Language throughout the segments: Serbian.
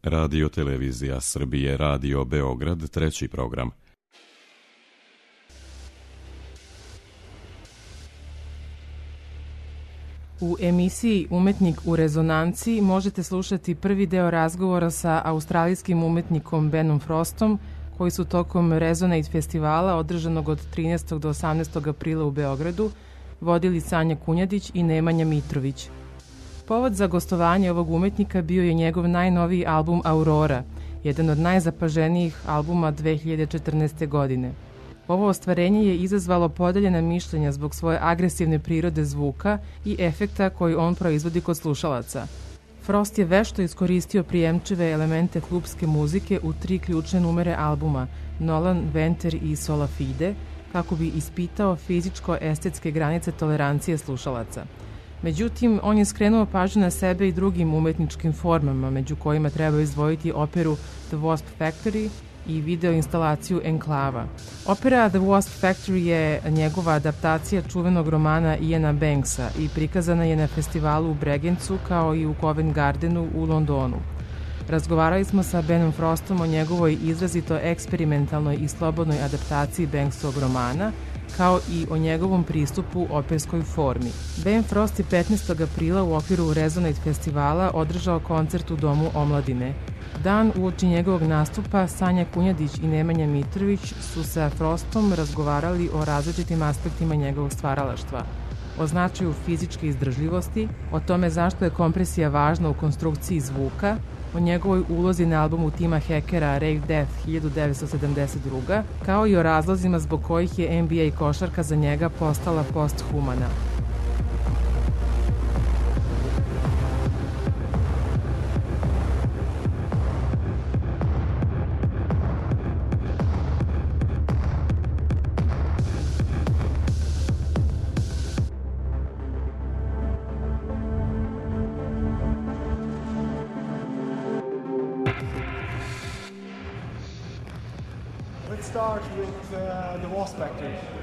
Radio Televizija Srbije, Radio Beograd, treći program. U emisiji Umetnik u rezonanciji možete slušati prvi deo razgovora sa australijskim umetnikom Benom Frostom, koji su tokom Resonate festivala, održanog od 13. do 18. aprila u Beogradu, vodili Sanja Kunjadić i Nemanja Mitrović. Povod za gostovanje ovog umetnika bio je njegov najnoviji album Aurora, jedan od najzapaženijih albuma 2014. godine. Ovo ostvarenje je izazvalo podeljena mišljenja zbog svoje agresivne prirode zvuka i efekta koji on proizvodi kod slušalaca. Frost je vešto iskoristio prijemčive elemente klubske muzike u 3 ključne numere albuma, Nolan, Venter i Sola Fide, kako bi ispitao fizičko-estetske granice tolerancije slušalaca. Međutim, on je skrenuo pažnju na sebe i drugim umetničkim formama, među kojima treba izdvojiti operu The Wasp Factory i video instalaciju Enklava. Opera The Wasp Factory je njegova adaptacija čuvenog romana Iana Banksa i prikazana je na festivalu u Bregencu kao i u Covent Gardenu u Londonu. Razgovarali smo sa Benom Frostom o njegovoj izrazito eksperimentalnoj i slobodnoj adaptaciji Banksovog romana, kao i o njegovom pristupu operskoj formi. Ben Frost je 15. aprila u okviru Resonate festivala održao koncert u Domu omladine. Dan uoči njegovog nastupa Sanja Kunjadić i Nemanja Mitrović su sa Frostom razgovarali o različitim aspektima njegovog stvaralaštva, o značaju fizičke izdržljivosti, o tome zašto je kompresija važna u konstrukciji zvuka, o njegovoj ulozi na albumu Tima Hackera Rave Death 1972, kao i o razlozima zbog kojih je NBA košarka za njega postala posthumana.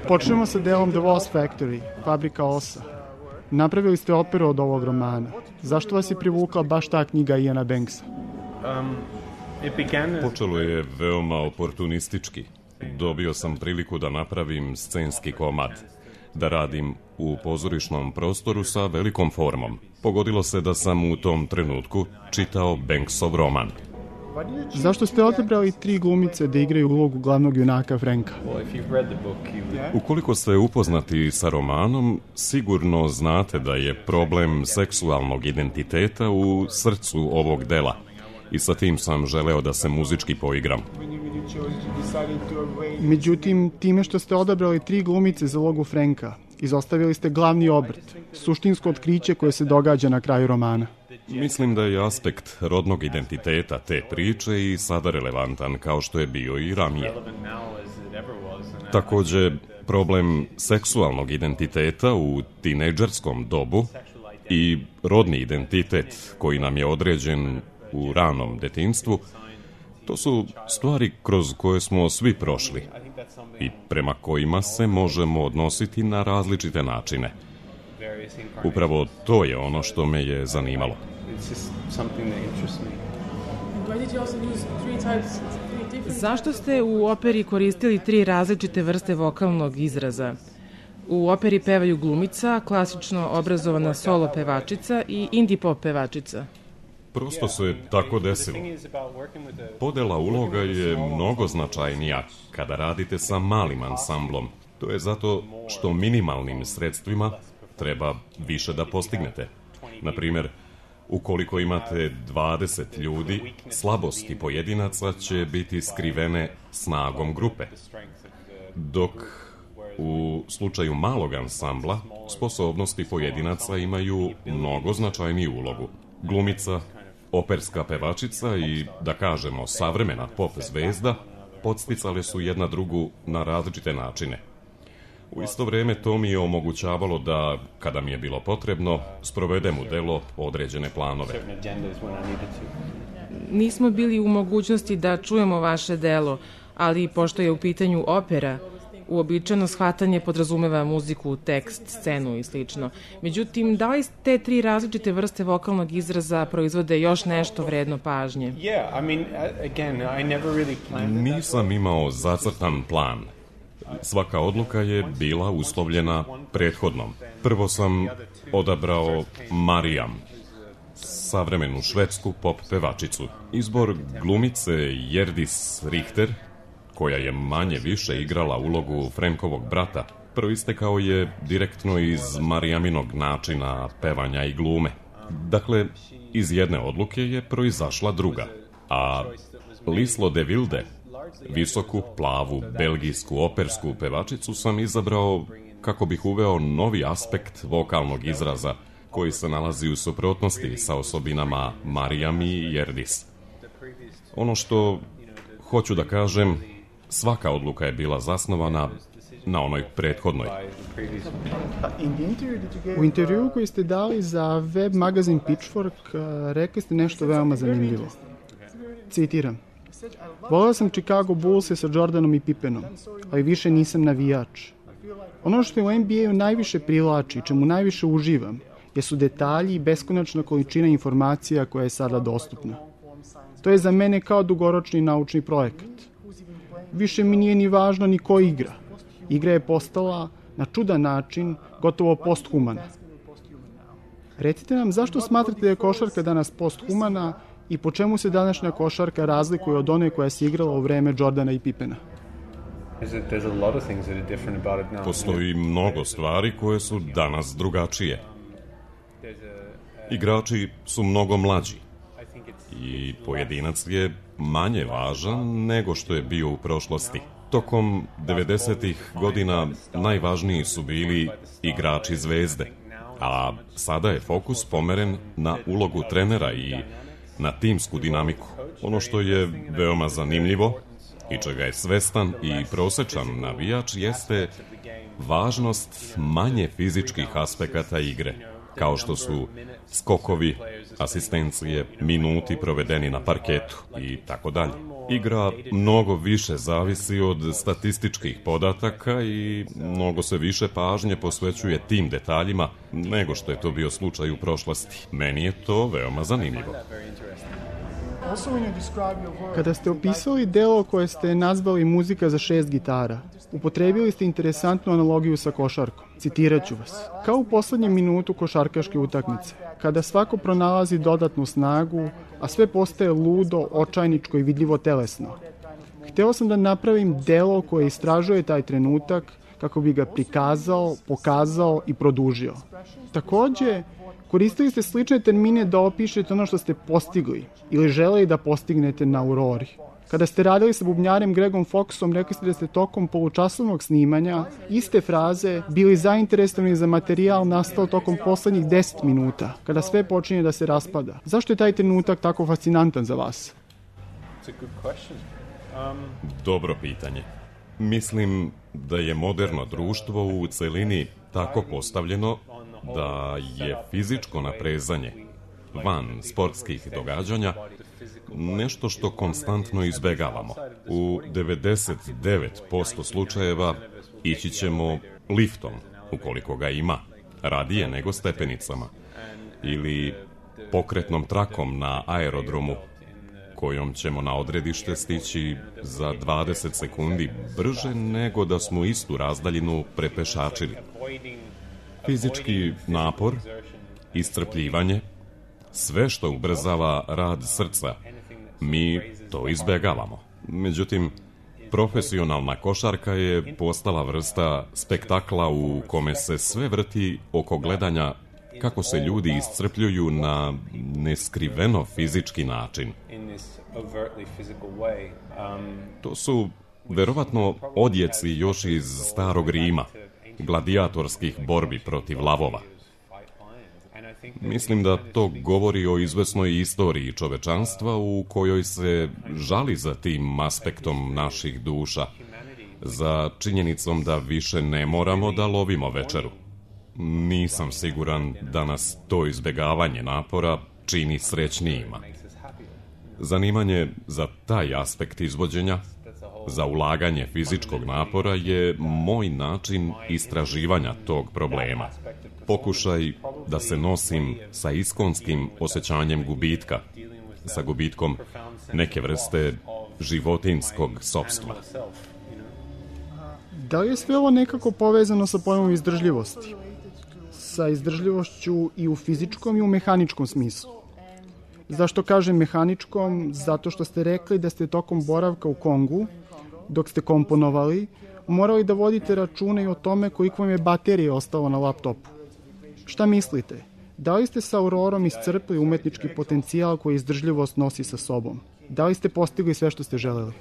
Počnemo sa delom The Wasp Factory, Fabrika osa. Napravili ste operu od ovog romana. Zašto vas je privukla baš ta knjiga Iana Banksa? Počelo je veoma oportunistički. Dobio sam priliku da napravim scenski komad, da radim u pozorišnom prostoru sa velikom formom. Pogodilo se da sam u tom trenutku čitao Banksov roman. Zašto ste odabrali 3 glumice da igraju ulogu glavnog junaka Franka? Ukoliko ste upoznati sa romanom, sigurno znate da je problem seksualnog identiteta u srcu ovog dela i sa tim sam želeo da se muzički poigram. Međutim, time što ste odabrali 3 glumice za ulogu Franka, izostavili ste glavni obrt, suštinsko otkriće koje se događa na kraju romana. Mislim da je aspekt rodnog identiteta te priče i sada relevantan kao što je bio i ranije. Takođe, problem seksualnog identiteta u tinejdžerskom dobu i rodni identitet koji nam je određen u ranom detinjstvu, to su stvari kroz koje smo svi prošli i prema kojima se možemo odnositi na različite načine. Upravo to je ono što me je zanimalo. Zašto ste u operi koristili 3 različite vrste vokalnog izraza? U operi pevaju glumica, klasično obrazovana solo pevačica i indie pop pevačica. Prosto se tako desilo. Podela uloga je mnogo značajnija kada radite sa malim ansamblom. To je zato što minimalnim sredstvima treba više da postignete. Na primer, ukoliko imate 20 ljudi, slabosti pojedinaca će biti skrivene snagom grupe. Dok u slučaju malog ansambla, sposobnosti pojedinaca imaju mnogo značajniju ulogu. Glumica, operska pevačica i, da kažemo, savremena pop zvezda podsticale su jedna drugu na različite načine. U isto vreme to mi je omogućavalo da, kada mi je bilo potrebno, sprovedem u delo određene planove. Nismo bili u mogućnosti da čujemo vaše delo, ali pošto je u pitanju opera, Uobičajeno shvatanje podrazumeva muziku, tekst, scenu i slično. Međutim, da li te 3 različite vrste vokalnog izraza proizvode još nešto vredno pažnje? Nisam imao zacrtan plan. Svaka odluka je bila uslovljena prethodnom. Prvo sam odabrao Marijam, savremenu švedsku pop pevačicu. Izbor glumice Hjördis Richter, koja je manje više igrala ulogu Frankovog brata, proistekao je direktno iz Marijaminog načina pevanja i glume. Dakle, iz jedne odluke je proizašla druga, a Lislo de Wilde, visoku, plavu, belgijsku opersku pevačicu sam izabrao kako bih uveo novi aspekt vokalnog izraza koji se nalazi u suprotnosti sa osobinama Marijam i Hjördis. Ono što hoću da kažem, svaka odluka je bila zasnovana na onoj prethodnoj. U intervjuu koji ste dali za web magazin Pitchfork rekli ste nešto veoma zanimljivo. Citiram: voleo sam Chicago Bullse sa Jordanom i Pippenom, ali više nisam navijač. Ono što je u NBA-u najviše privlači, čemu najviše uživam, jesu detalji i beskonačna količina informacija koja je sada dostupna. To je za mene kao dugoročni naučni projekat. Više mi nije ni važno ni ko igra. Igra je postala na čudan način gotovo posthumana. Recite nam, zašto smatrate da je košarka danas posthumana i po čemu se današnja košarka razlikuje od one koja se igrala u vreme Jordana i Pippena? Postoji mnogo stvari koje su danas drugačije. Igrači su mnogo mlađi i pojedinac je manje važan nego što je bio u prošlosti. Tokom 90-ih godina najvažniji su bili igrači zvezde, a sada je fokus pomeren na ulogu trenera i na timsku dinamiku. Ono što je veoma zanimljivo i čega je svestan i prosečan navijač jeste važnost manje fizičkih aspekata igre, kao što su skokovi, asistencije, minuti provedeni na parketu i tako dalje. Igra mnogo više zavisi od statističkih podataka i mnogo se više pažnje posvećuje tim detaljima nego što je to bio slučaj u prošlosti. Meni je to veoma zanimljivo. Kada ste opisali delo koje ste nazvali muzika za 6 gitara, upotrebili ste interesantnu analogiju sa košarkom. Citirat ću vas. Kao u poslednjem minutu košarkaške utakmice, kada svako pronalazi dodatnu snagu, a sve postaje ludo, očajničko i vidljivo telesno. Hteo sam da napravim delo koje istražuje taj trenutak kako bi ga prikazao, pokazao i produžio. Takođe, koristili ste slične termine da opišete ono što ste postigli ili želeli da postignete na Aurori. Kada ste radili sa bubnjarem Gregom Foxom, rekli ste da ste tokom polučasovnog snimanja iste fraze bili zainteresovani za materijal nastao tokom poslednjih 10 minuta, kada sve počinje da se raspada. Zašto je taj trenutak tako fascinantan za vas? Dobro pitanje. Mislim da je moderno društvo u celini tako postavljeno da je fizičko naprezanje van sportskih događanja nešto što konstantno izbegavamo. U 99% slučajeva ići ćemo liftom, ukoliko ga ima, radije nego stepenicama, ili pokretnom trakom na aerodromu, kojom ćemo na odredište stići za 20 sekundi brže nego da smo istu razdaljinu prepešačili. Fizički napor, iscrpljivanje, sve što ubrzava rad srca, mi to izbegavamo. Međutim, profesionalna košarka je postala vrsta spektakla u kome se sve vrti oko gledanja kako se ljudi iscrpljuju na neskriveno fizički način. To su verovatno odjeci još iz starog Rima, gladijatorskih borbi protiv lavova. Mislim da to govori o izvesnoj istoriji čovečanstva u kojoj se žali za tim aspektom naših duša, za činjenicom da više ne moramo da lovimo večeru. Nisam siguran da nas to izbegavanje napora čini srećnijima. Zanimanje za taj aspekt izvođenja, za ulaganje fizičkog napora je moj način istraživanja tog problema. Pokušaj da se nosim sa iskonskim osjećanjem gubitka, sa gubitkom neke vrste životinjskog sopstva. Da li je sve ovo nekako povezano sa pojmom izdržljivosti? Sa izdržljivošću i u fizičkom i u mehaničkom smislu. Zašto kažem mehaničkom? Zato što ste rekli da ste tokom boravka u Kongu, dok ste komponovali, morali da vodite račune i o tome koliko vam je baterije ostalo na laptopu. Šta mislite? Da li ste sa Aurorom iscrpili umetnički potencijal koji izdržljivost nosi sa sobom? Da li ste postigli sve što ste želeli?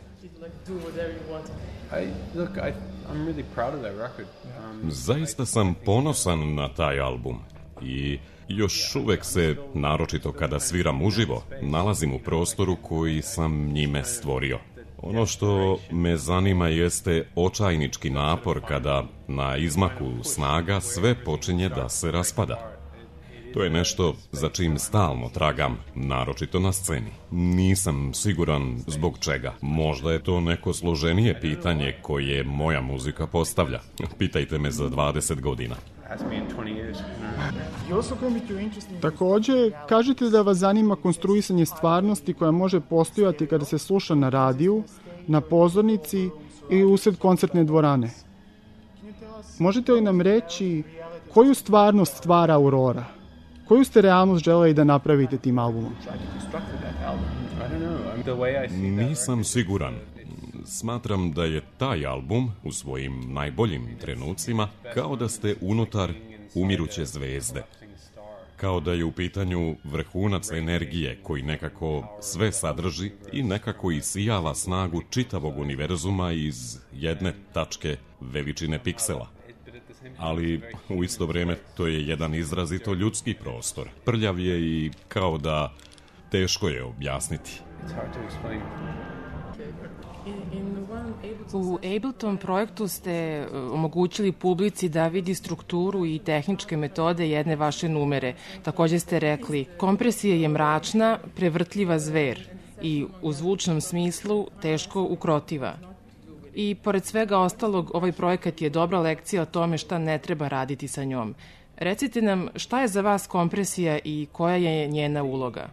Zaista sam ponosan na taj album i još uvek se, naročito kada sviram uživo, nalazim u prostoru koji sam njime stvorio. Ono što me zanima jeste očajnički napor kada na izmaku snaga sve počinje da se raspada. To je nešto za čim stalno tragam, naročito na sceni. Nisam siguran zbog čega. Možda je to neko složenije pitanje koje moja muzika postavlja. Pitajte me za 20 godina. Takođe, kažete da vas zanima konstruisanje stvarnosti koja može postojati kada se sluša na radiju, na pozornici ili usred koncertne dvorane. Možete li nam reći koju stvarnost stvara Aurora? Koju ste realnost želeli da napravite tim albumom? Nisam siguran. Smatram da je taj album u svojim najboljim trenucima kao da ste unutar umiruće zvezde. Kao da je u pitanju vrhunac energije koji nekako sve sadrži i nekako isijava snagu čitavog univerzuma iz jedne tačke veličine piksela. Ali u isto vrijeme to je jedan izrazito ljudski prostor. Prljav je i kao da teško je objasniti. U Ableton projektu ste omogućili publici da vidi strukturu i tehničke metode jedne vaše numere. Takođe ste rekli, kompresija je mračna, prevrtljiva zver i u zvučnom smislu teško ukrotiva. I pored svega ostalog, ovaj projekat je dobra lekcija o tome šta ne treba raditi sa njom. Recite nam šta je za vas kompresija i koja je njena uloga?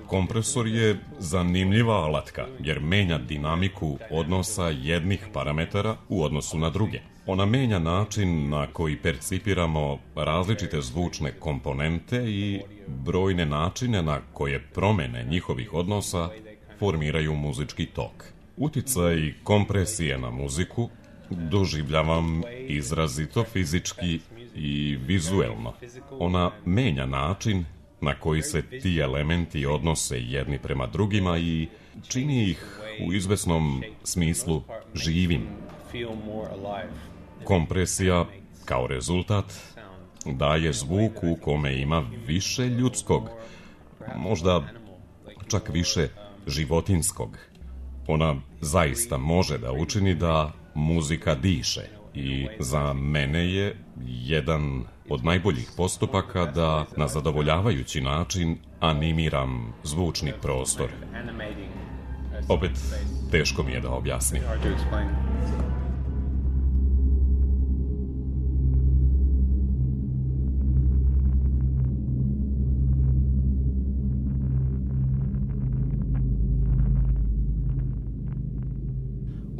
Kompresor je zanimljiva alatka jer menja dinamiku odnosa jednih parametara u odnosu na druge. Ona menja način na koji percipiramo različite zvučne komponente i brojne načine na koje promene njihovih odnosa formiraju muzički tok. Uticaj kompresije na muziku doživljavam izrazito fizički i vizuelno. Ona menja način na koji se ti elementi odnose jedni prema drugima i čini ih u izvesnom smislu živim. Kompresija, kao rezultat, daje zvuk u kome ima više ljudskog, možda čak više životinskog. Ona zaista može da učini da muzika diše i za mene je jedan od najboljih postupaka da na zadovoljavajući način animiram zvučni prostor. Opet, teško mi je da objasnim.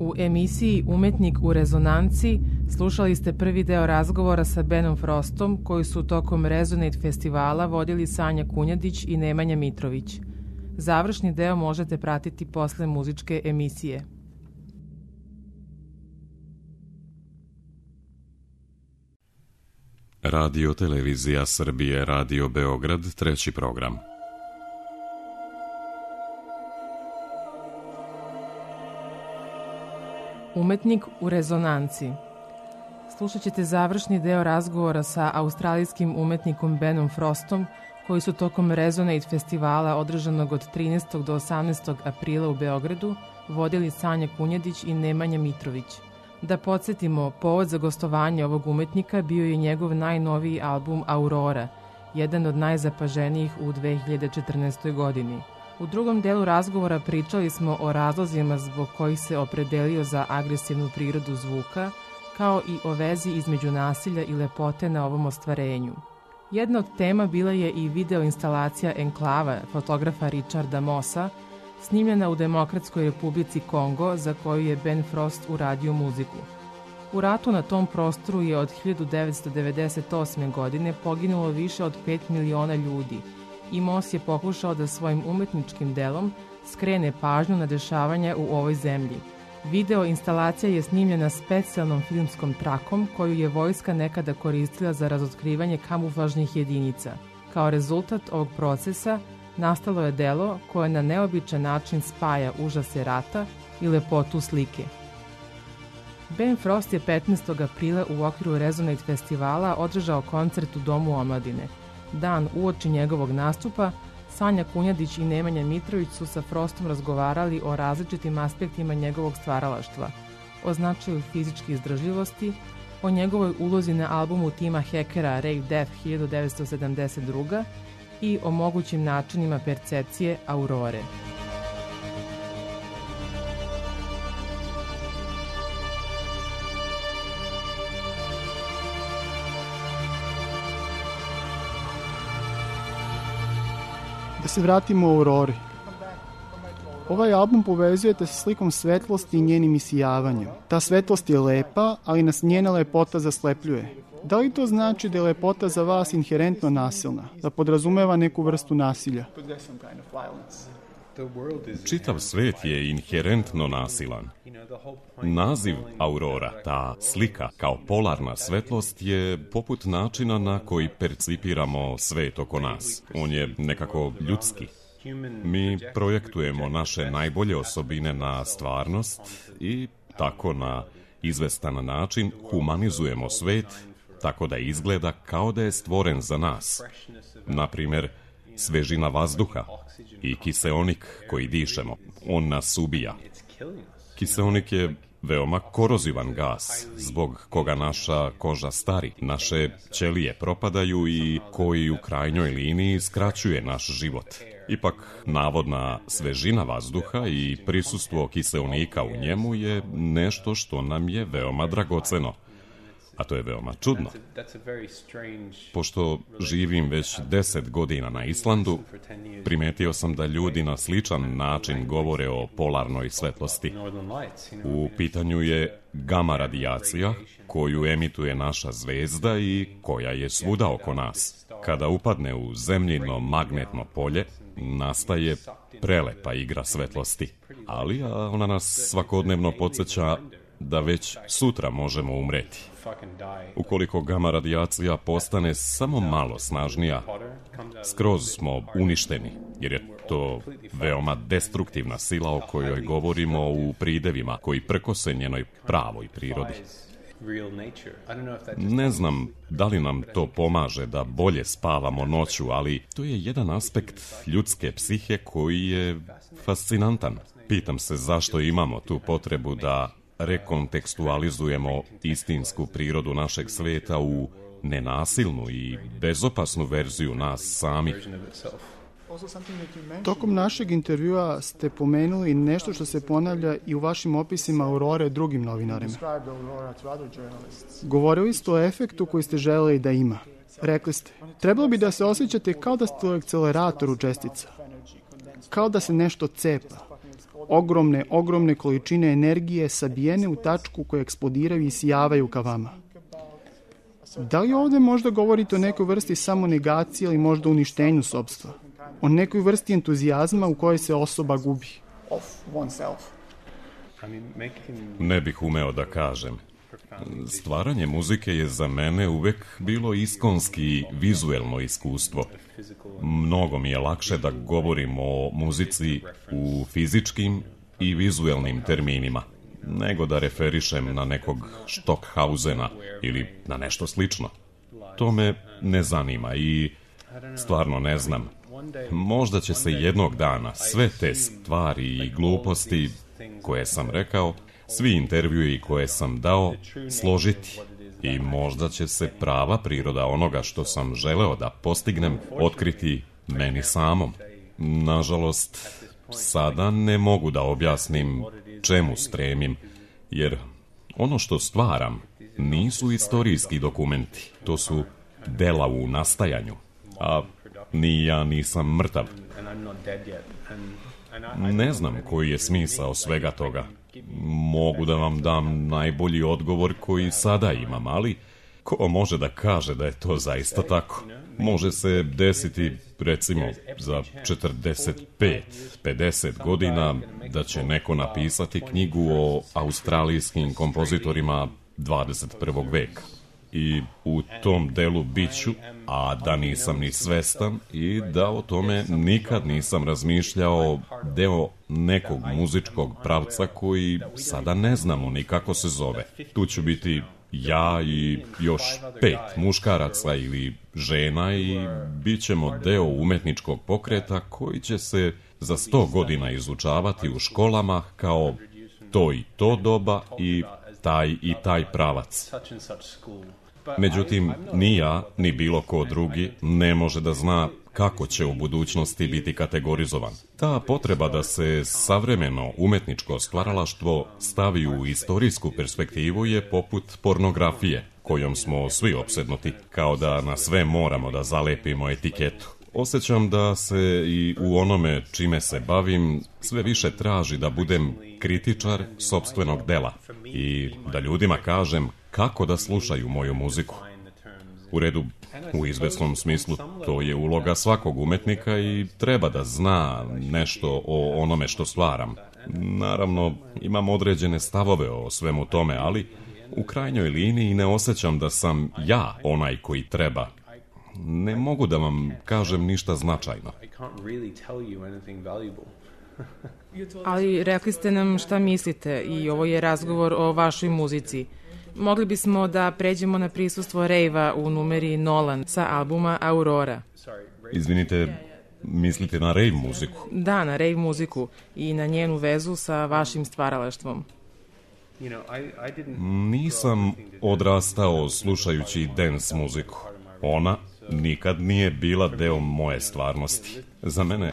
U emisiji Umetnik u rezonanci slušali ste prvi deo razgovora sa Benom Frostom koji su tokom Resonate festivala vodili Sanja Kunjadić i Nemanja Mitrović. Završni deo možete pratiti posle muzičke emisije. Radio Televizija Srbije, Radio Beograd, treći program. Umetnik u rezonanci. Slušat ćete završni deo razgovora sa australijskim umetnikom Benom Frostom, koji su tokom Resonate festivala održanog od 13. do 18. aprila u Beogradu vodili Sanja Kunjadić i Nemanja Mitrović. Da podsjetimo, povod za gostovanje ovog umetnika bio je njegov najnoviji album Aurora, jedan od najzapaženijih u 2014. godini. U drugom delu razgovora pričali smo o razlozima zbog kojih se opredelio za agresivnu prirodu zvuka, kao i o vezi između nasilja i lepote na ovom ostvarenju. Jedna od tema bila je i video instalacija Enklava fotografa Richarda Mossa, snimljena u Demokratskoj republici Kongo, za koju je Ben Frost uradio muziku. U ratu na tom prostoru je od 1998. godine poginulo više od 5 miliona ljudi i Moss je pokušao da svojim umetničkim delom skrene pažnju na dešavanja u ovoj zemlji. Video instalacija je snimljena specijalnom filmskom trakom koju je vojska nekada koristila za razotkrivanje kamuflažnih jedinica. Kao rezultat ovog procesa nastalo je delo koje na neobičan način spaja užase rata i lepotu slike. Ben Frost je 15. aprila u okviru Resonate festivala održao koncert u Domu omladine. Dan uoči njegovog nastupa, Sanja Kunjadić i Nemanja Mitrović su sa Frostom razgovarali o različitim aspektima njegovog stvaralaštva, o značaju fizičke izdržljivosti, o njegovoj ulozi na albumu tima Hackera Rave Death 1972. i o mogućim načinima percepcije aurore. Da se vratimo u Aurori. Ovaj album povezujete sa slikom svetlosti i njenim isijavanjem. Ta svetlost je lepa, ali nas njena lepota zaslepljuje. Da li to znači da je lepota za vas inherentno nasilna, da podrazumeva neku vrstu nasilja? Čitav svet je inherentno nasilan. Naziv Aurora, ta slika kao polarna svetlost, je poput načina na koji percipiramo svet oko nas. On je nekako ljudski. Mi projektujemo naše najbolje osobine na stvarnost i tako na izvestan način humanizujemo svet tako da izgleda kao da je stvoren za nas. Naprimjer, svežina vazduha i kiseonik koji dišemo. On nas ubija. Kiseonik je veoma korozivan gas, zbog koga naša koža stari, naše ćelije propadaju i koji u krajnjoj liniji skraćuje naš život. Ipak, navodna svežina vazduha i prisustvo kiseonika u njemu je nešto što nam je veoma dragoceno. A to je veoma čudno. Pošto živim već 10 godina na Islandu, primetio sam da ljudi na sličan način govore o polarnoj svetlosti. U pitanju je gama radijacija koju emituje naša zvezda i koja je svuda oko nas. Kada upadne u zemljino magnetno polje, nastaje prelepa igra svetlosti. Ali ona nas svakodnevno podsjeća da već sutra možemo umreti. Ukoliko gama radijacija postane samo malo snažnija, skroz smo uništeni, jer je to veoma destruktivna sila o kojoj govorimo u pridevima koji prkose njenoj pravoj prirodi. Ne znam da li nam to pomaže da bolje spavamo noću, ali to je jedan aspekt ljudske psihe koji je fascinantan. Pitam se zašto imamo tu potrebu da rekontekstualizujemo istinsku prirodu našeg sveta u nenasilnu i bezopasnu verziju nas samih. Tokom našeg intervjua ste pomenuli nešto što se ponavlja i u vašim opisima Aurore drugim novinarima. Govorili ste o efektu koji ste želeli da ima. Rekli ste, trebalo bi da se osjećate kao da ste u akceleratoru čestica. Kao da se nešto cepa. Ogromne količine energije sabijene u tačku koje eksplodiraju i sijavaju ka vama. Da li ovdje možda govorite o nekoj vrsti samonegacije ili možda uništenju sopstva? O nekoj vrsti entuzijazma u kojoj se osoba gubi? Ne bih umeo da kažem. Stvaranje muzike je za mene uvek bilo iskonski vizuelno iskustvo. Mnogo mi je lakše da govorim o muzici u fizičkim i vizuelnim terminima, nego da referišem na nekog Stockhausena ili na nešto slično. To me ne zanima i stvarno ne znam. Možda će se jednog dana sve te stvari i gluposti koje sam rekao, svi intervjui koje sam dao, složiti i možda će se prava priroda onoga što sam želeo da postignem otkriti meni samom. nažalost, sada ne mogu da objasnim čemu stremim, jer ono što stvaram nisu istorijski dokumenti, to su dela u nastajanju, a ni ja nisam mrtav. Ne znam koji je smisao svega toga. Mogu da vam dam najbolji odgovor koji sada imam, ali ko može da kaže da je to zaista tako? Može se desiti, recimo, za 45, 50 godina da će neko napisati knjigu o australijskim kompozitorima 21. veka. I u tom delu biću, a da nisam ni svestan i da o tome nikad nisam razmišljao, deo nekog muzičkog pravca koji sada ne znamo ni kako se zove. Tu ću biti ja i još 5 muškaraca ili žena i bit ćemo deo umetničkog pokreta koji će se za 100 godina izučavati u školama kao to i to doba i taj pravac. Međutim, ni ja, ni bilo ko drugi ne može da zna kako će u budućnosti biti kategorizovan. Ta potreba da se savremeno umetničko stvaralaštvo stavi u istorijsku perspektivu je poput pornografije, kojom smo svi opsednuti, kao da na sve moramo da zalepimo etiketu. Osjećam da se i u onome čime se bavim sve više traži da budem kritičar sopstvenog dela i da ljudima kažem kako da slušaju moju muziku. U redu, u izvesnom smislu, to je uloga svakog umetnika i treba da zna nešto o onome što stvaram. Naravno, imam određene stavove o svemu tome, ali u krajnjoj liniji ne osjećam da sam ja onaj koji treba. Ne mogu da vam kažem ništa značajno. Ali rekli ste nam šta mislite i ovo je razgovor o vašoj muzici. Mogli bismo da pređemo na prisustvo rejva u numeri Nolan sa albuma Aurora. Izvinite, mislite na rejv muziku? Da, na rejv muziku i na njenu vezu sa vašim stvaralaštvom. Nisam odrastao slušajući dance muziku. Ona nikad nije bila deo moje stvarnosti. Za mene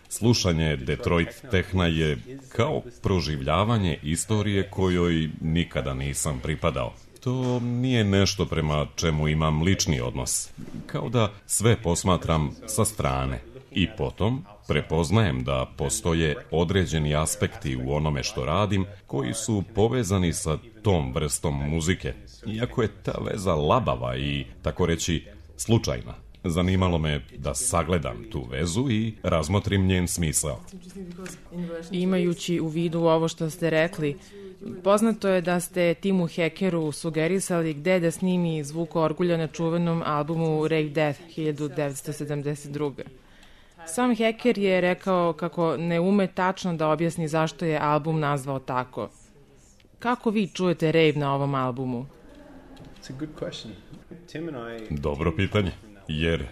slušanje Detroit tehna je kao proživljavanje istorije kojoj nikada nisam pripadao. To nije nešto prema čemu imam lični odnos. Kao da sve posmatram sa strane. I potom prepoznajem da postoje određeni aspekti u onome što radim koji su povezani sa tom vrstom muzike. Iako je ta veza labava i, tako reći, slučajna. Zanimalo me da sagledam tu vezu i razmotrim njen smisao. Imajući u vidu ovo što ste rekli, poznato je da ste Timu Heckeru sugerisali gde da snimi zvuk orgulja na čuvenom albumu Rave Death 1972. Sam Hecker je rekao kako ne ume tačno da objasni zašto je album nazvao tako. Kako vi čujete rave na ovom albumu? Dobro pitanje. Jer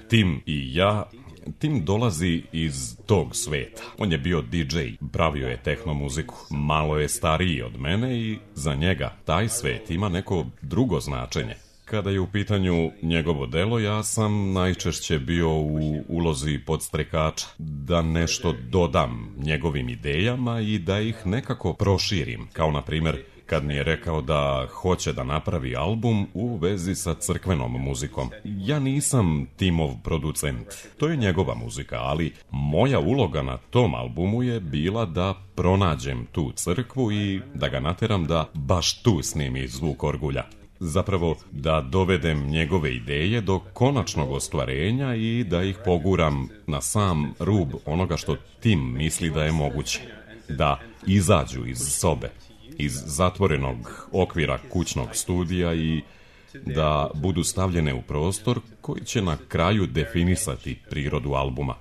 Tim dolazi iz tog sveta. On je bio DJ, pravio je tehno muziku. Malo je stariji od mene i za njega taj svet ima neko drugo značenje. Kada je u pitanju njegovo delo, ja sam najčešće bio u ulozi podstrekača, da nešto dodam njegovim idejama i da ih nekako proširim, kao na primjer kad mi je rekao da hoće da napravi album u vezi sa crkvenom muzikom. Ja nisam Timov producent, to je njegova muzika, ali moja uloga na tom albumu je bila da pronađem tu crkvu i da ga nateram da baš tu snimi zvuk orgulja. Zapravo da dovedem njegove ideje do konačnog ostvarenja i da ih poguram na sam rub onoga što Tim misli da je moguće. Da izađu iz sobe, iz zatvorenog okvira kućnog studija i da budu stavljene u prostor koji će na kraju definisati prirodu albuma.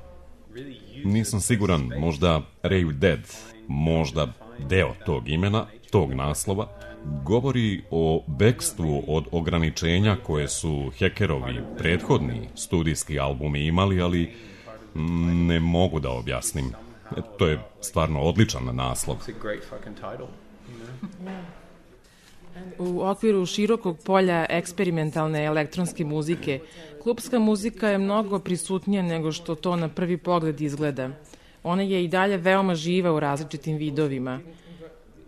Nisam siguran, možda Rave Dead, možda deo tog imena, tog naslova, govori o bekstvu od ograničenja koje su Heckerovi prethodni studijski albumi imali, ali ne mogu da objasnim. To je stvarno odličan naslov. U okviru širokog polja eksperimentalne elektronske muzike, klupska muzika je mnogo prisutnija nego što to na prvi pogled izgleda. ona je i dalje veoma živa u različitim vidovima.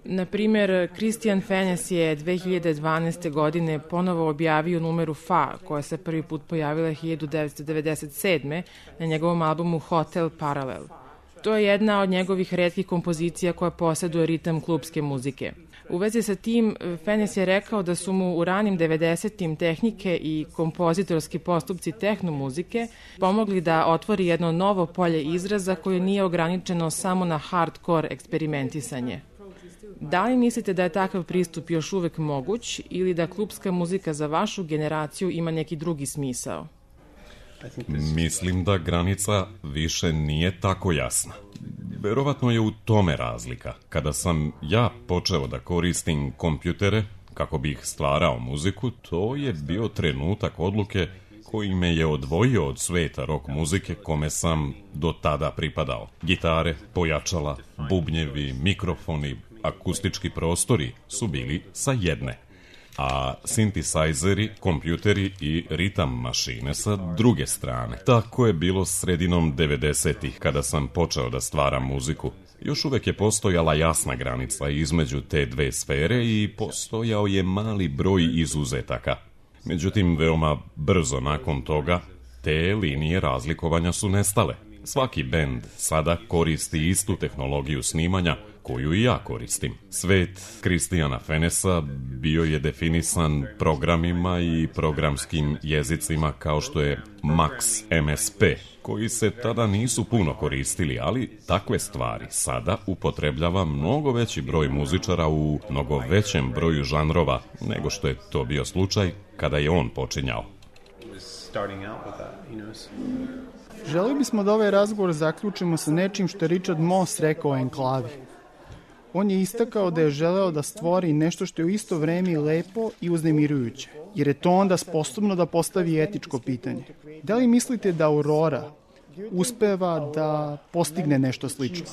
Na primer, Christian Fenes je 2012. godine ponovo objavio numeru Fa, koja se prvi put pojavila 1997. na njegovom albumu Hotel Parallel. To je jedna od njegovih retkih kompozicija koja posjeduje ritam klubske muzike. U vezi sa tim, Fenes je rekao da su mu u ranim 90-im tehnike i kompozitorski postupci tehnomuzike pomogli da otvori jedno novo polje izraza koje nije ograničeno samo na hardcore eksperimentisanje. Da li mislite da je takav pristup još uvek moguć ili da klubska muzika za vašu generaciju ima neki drugi smisao? Mislim da granica više nije tako jasna. Verovatno je u tome razlika. Kada sam ja počeo da koristim kompjutere kako bih stvarao muziku, to je bio trenutak odluke koji me je odvojio od sveta rock muzike kome sam do tada pripadao. Gitare, pojačala, bubnjevi, mikrofoni, akustički prostori su bili sa jedne, a sintisajzeri, kompjuteri i ritam mašine sa druge strane. Tako je bilo sredinom 90-ih kada sam počeo da stvaram muziku. Još uvek je postojala jasna granica između te dve sfere i postojao je mali broj izuzetaka. Međutim, veoma brzo nakon toga te linije razlikovanja su nestale. Svaki bend sada koristi istu tehnologiju snimanja koju i ja koristim. Svet Christiana Fenesa bio je definisan programima i programskim jezicima kao što je Max MSP, koji se tada nisu puno koristili, ali takve stvari sada upotrebljava mnogo veći broj muzičara u mnogo većem broju žanrova nego što je to bio slučaj kada je on počinjao. Želeli bismo da ovaj razgovor zaključimo sa nečim što je Richard Moss rekao o enklavi. On je istakao da je želeo da stvori nešto što je u isto vreme lepo i uznemirujuće, jer je to onda sposobno da postavi etičko pitanje. Da li mislite da Aurora uspeva da postigne nešto slično?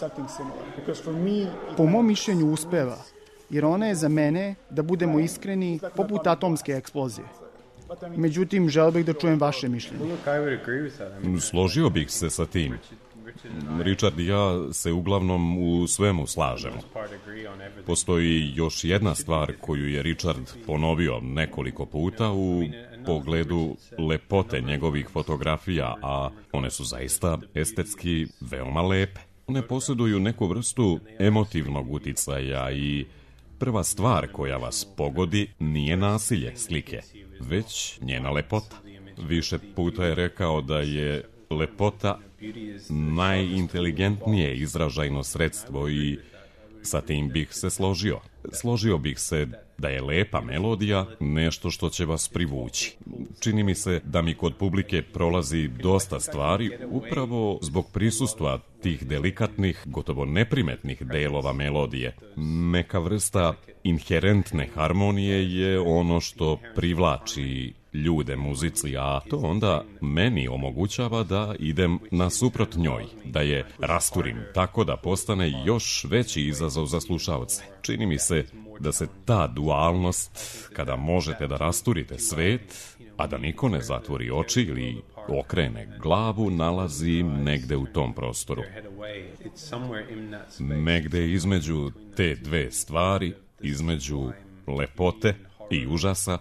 Po mom mišljenju uspeva, jer ona je za mene, da budemo iskreni, poput atomske eksplozije. Međutim, želeo bih da čujem vaše mišljenje. Složio bih se sa tim. Richard i ja se uglavnom u svemu slažemo. Postoji još jedna stvar koju je Richard ponovio nekoliko puta u pogledu lepote njegovih fotografija, a one su zaista estetski veoma lepe. One posjeduju neku vrstu emotivnog uticaja i prva stvar koja vas pogodi nije nasilje slike, već njena lepota. Više puta je rekao da je lepota najinteligentnije izražajno sredstvo i sa tim bih se složio. Složio bih se da je lepa melodija nešto što će vas privući. Čini mi se da mi kod publike prolazi dosta stvari upravo zbog prisustva tih delikatnih, gotovo neprimetnih delova melodije. Neka vrsta inherentne harmonije je ono što privlači ljude muzici, a to onda meni omogućava da idem nasuprot njoj, da je rasturim tako da postane još veći izazov za slušaoce. Čini mi se da se ta dualnost, kada možete da rasturite svet, a da niko ne zatvori oči ili okrene glavu, nalazi negde u tom prostoru. Negde između te dve stvari, između lepote i užasa,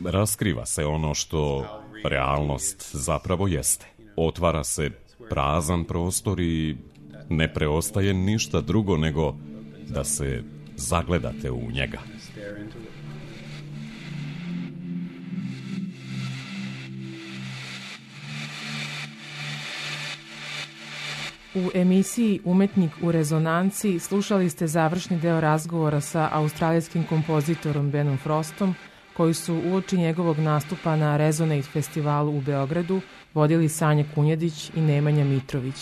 raskriva se ono što realnost zapravo jeste. Otvara se prazan prostor i ne preostaje ništa drugo nego da se zagledate u njega. U emisiji Umetnik u rezonanci slušali ste završni deo razgovora sa australijskim kompozitorom Benom Frostom, koji su uoči njegovog nastupa na Resonate festivalu u Beogradu vodili Sanja Kunjedić i Nemanja Mitrović.